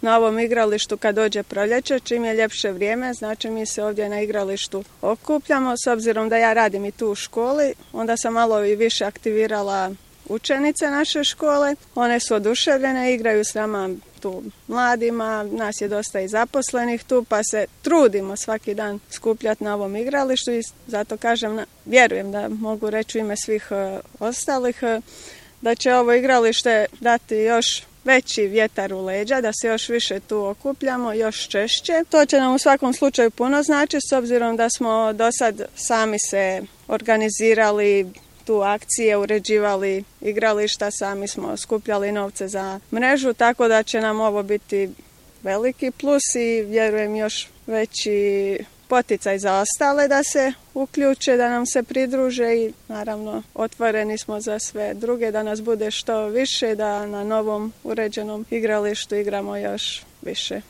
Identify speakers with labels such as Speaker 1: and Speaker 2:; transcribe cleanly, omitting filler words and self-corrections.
Speaker 1: na ovom igralištu kad dođe proljeće, čim je ljepše vrijeme, znači mi se ovdje na igralištu okupljamo. S obzirom da ja radim i tu u školi, onda sam malo i više aktivirala učenice naše škole. One su oduševljene, igraju s nama tu mladima, nas je dosta i zaposlenih tu, pa se trudimo svaki dan skupljati na ovom igralištu i zato kažem, vjerujem da mogu reći u ime svih ostalih, da će ovo igralište dati još veći vjetar u leđa, da se još više tu okupljamo, još češće. To će nam u svakom slučaju puno znači, s obzirom da smo do sad sami se organizirali tu akcije, uređivali igrališta, sami smo skupljali novce za mrežu, tako da će nam ovo biti veliki plus i vjerujem još veći poticaj za ostale da se uključe, da nam se pridruže i naravno otvoreni smo za sve druge, da nas bude što više, da na novom uređenom igralištu igramo još više.